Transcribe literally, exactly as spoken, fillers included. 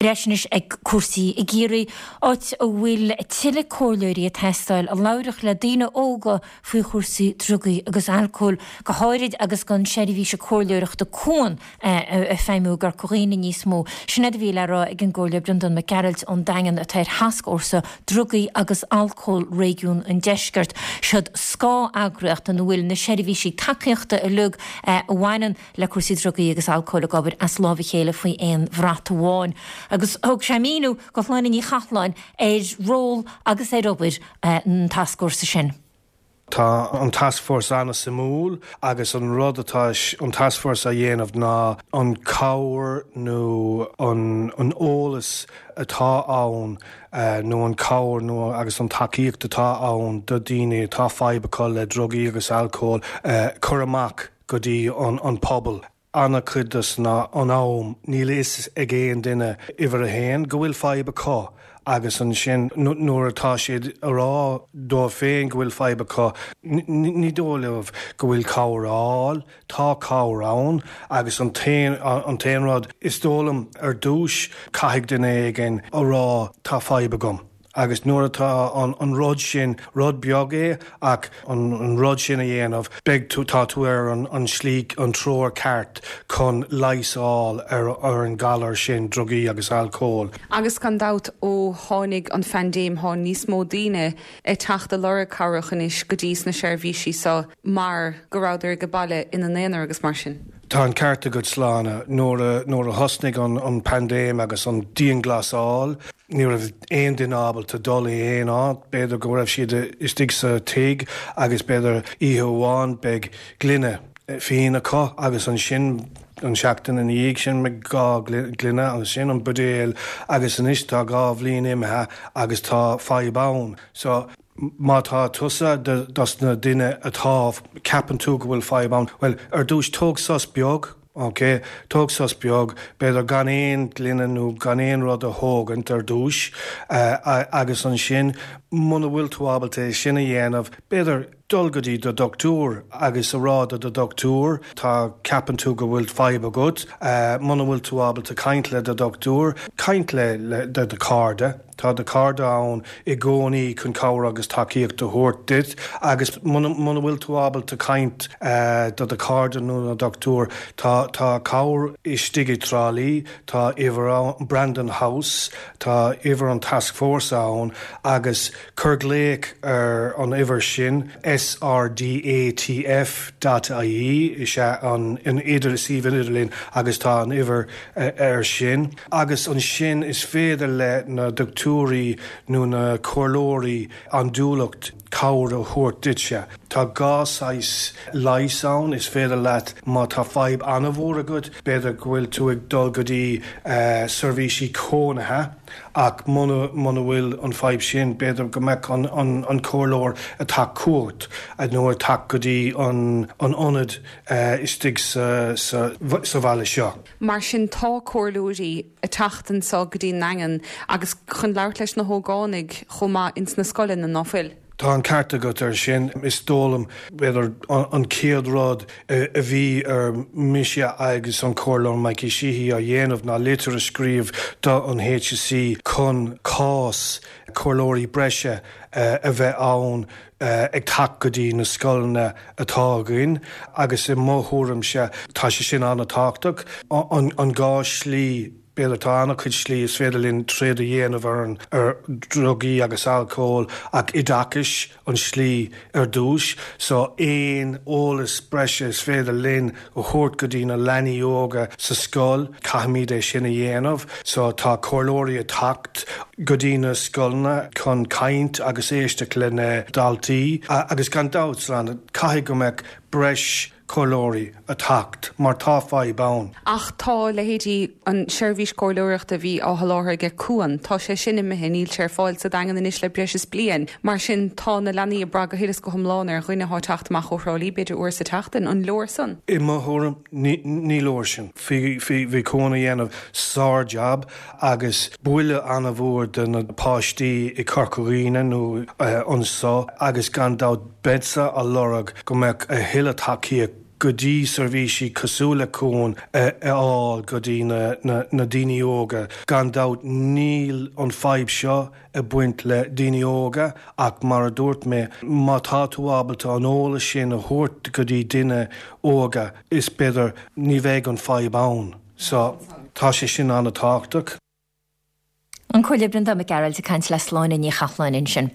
Ar ais anois ag cúrsaí i gCiarraí, áit a bhfuil tuilleadh comhairleoirí ag teastáil a labharfadh le daoine óga faoi chúrsaí drugaí agus alcóil, go háirid agus gan seirbhíse comhairleoireachta Cuan ag feidhmiú i gCorca Dhuibhne níos mó. Sin é a bhí le rá ag an gComhairleoir Breandán Mac Gearailt ón Daingean atá ar thascfhórsa drugaí agus alcól réigiún an Deiscirt. Siod scáth-eagraíocht ina bhfuil na seirbhísí tacaíochta uilig a bhaineann le cúrsaí drugaí agus alcóil ag obair as lámh a chéile faoi aon bhrat amháin. Agus thug sé míniú do Shláine Ní Chathalláin ar ról agus ar obair an tascfhórsa sin. Tá an taskforce an-suimiúil agus an rud atá an taskforce a dhéanamh ná an cabhair nó an, an eolas atá ann uh, nó an cabhair nó agus an tacaíocht atá ann do daoine atá fadhb acu le drugaí agus alcól uh, chur amach go dtí an, an pobal. An-chuid den am níl fhios ag aon duine uimhir a haon go bhfuil fadhb acu agus ansin nuair atá siad a rá dóibh féin go bhfuil fadhb acu ní dóigh leo go bhfuil cabhair ann, tá cabhair ann agus an t-aon rud is dóigh liom ar dtús caithfidh duine éigin a rá tá fadhb agam. agus nuair atá an, an rud sin rud beag é ach an, an rud sin a dhéanamh beidh tú tá tú ar an, an slí an treoir ceart chun leigheas a fháil ar, ar an galar sin drugaí agus alcól. Agus gan dabht ó tháinig an phaindéim tá níos mó daoine ag teacht ag lorg cabhrach anois go dtí na seirbhísí seo mar go rabhadar ag baile ina n-aonar agus mar sin. Tá an ceart agat Sláine nuair nuair a thosnaigh an, an paindéim agus an dianghlasáil, ní raibh aon duine ábalta dul i aon áit, b'fhéidir go raibh siad istigh sa tigh agus b'fhéidir oíche amháin beidh gloine fíon acu agus ansin an seachtain ina dhiaidh sin me dhá ghloine ansin an buidéal agus anois tá dhá bhliain imithe agus tá fadhb ann. So má tá tusa dos na daoine atá ceapann tú go bhfuil fadhb ann, well ar dtús tóg sos beag, Ok, tóg sos beag, b'fhéidir gan aon ghloine nó gan aon rud a thógaint ar dtús uh, agus ansin muna bhfuil tú ábalta é sin a dhéanamh, b'fhéidir dul go dtí do dochtúir agus a rá do do dochtúir tá ceapann tú go bhfuil fadhb agat, uh, muna bhfuil tú ábalta caint le do dochtúir, caint le, le do do chairde. Tá do chairde ann i gcónaí chun cabhair agus tacaíocht a thabhairt duit agus muna bhfuil tú ábalta caint uh, do do chairde nó na dochtúir tá tá cabhair istigh i dTrá Lí, tá uimhir Brandon House, tá uimhir an taskforce ann agus cuir glaoch ar an uimhir sin SRDATF.ie is ea an in idir suíomh idirlín agus tá an uimhir uh, ar sin. Agus ansin is féidir le na dochtúirí nó na comhairleoirí andúileacht cabhair a thabhairt duitse. Tá dhá shaghas leighis ann is féidir leat má tá fadhb an-mhór agat, b'fhéidir go bhfuil tú ag dul go dtí uh, seirbhísí cónaithe ach muna bhfuil an fadhb sin b'fhéidir go mbeadh an, an, an comhairleoir atá cuat a nó atá go dtí an, an ionad uh, istigh sa, sa, sa bhaile seo. Mar sin tá comhairleoirí ag teacht anseo go dtí an Daingean agus chun labhairt leis na hógánaigh chomh maith ins na scoileanna ná fuil. Tá an ceart agat ar sin is dóigh liom b'fhéidir an chéad rud a bhí ar mise agus an Comhairleoir Mikey Sheehy a dhéanamh ná litir a scríobh do an HSE chun cás comhairleoirí breise a bheith ann ag teacht go dtí na scoileanna atá againn agus i mo thuairimse tá sé sin an-tábhachtach an, an dhá slí B'fhéidir tá an-chuid slí is féidir linn troid a dhéanamh ar an ar drugaí agus alcól ach oideachas an slí ar dtús, so aon eolas breise is féidir linn a thabhairt go dtí na leanaí óga sa scoil, caithfimid é sin a dhéanamh, so tá comhairleoirí ag teacht go dtí na scoileanna chun caint agus éisteacht le na daltaí agus gan dabht caithfidh go mbeadh breis comhairleoirí ag teacht mar tá fadhb ann. Ach tá leithéidí an seirbhís comhairleoireachta a bhí á sholáthar ag Cuan, Tá sé sin imithe níl sé ar fáil sa Daingean anois le breis is bliain. Mar sin tá na leanaí ag brath go huile is go hiomlán ar dhuine atá ag teacht amach ó Thrá Lí b'fhéidir uair sa tseachtain an leor san. I mo thuairim ní leor sin. Bhí Cuan ag déanamh sár-jab agus buille an-mhór do na páistí i Corca Dhuibhne nó uh, anseo agus gan dabht beidh siad ag lorg go mbeadh a thuilleadh tacaíocht go dtí seirbhísí cosúil le Cuan a fháil go dtí na, na, na daoine óga. Gan dabht níl an fadhb seo ag baint le daoine óga ach mar a dúirt mé má tá tú ábalta an eolas sin a thabhairt go dtí duine óga is b'fhéidir ní bheidh an fadhb ann. So tá sé sin an-tábhachtach. An Comhairleoir Breandán Mac Gearailt ag caint le Sláine Ní Chathláin ansin.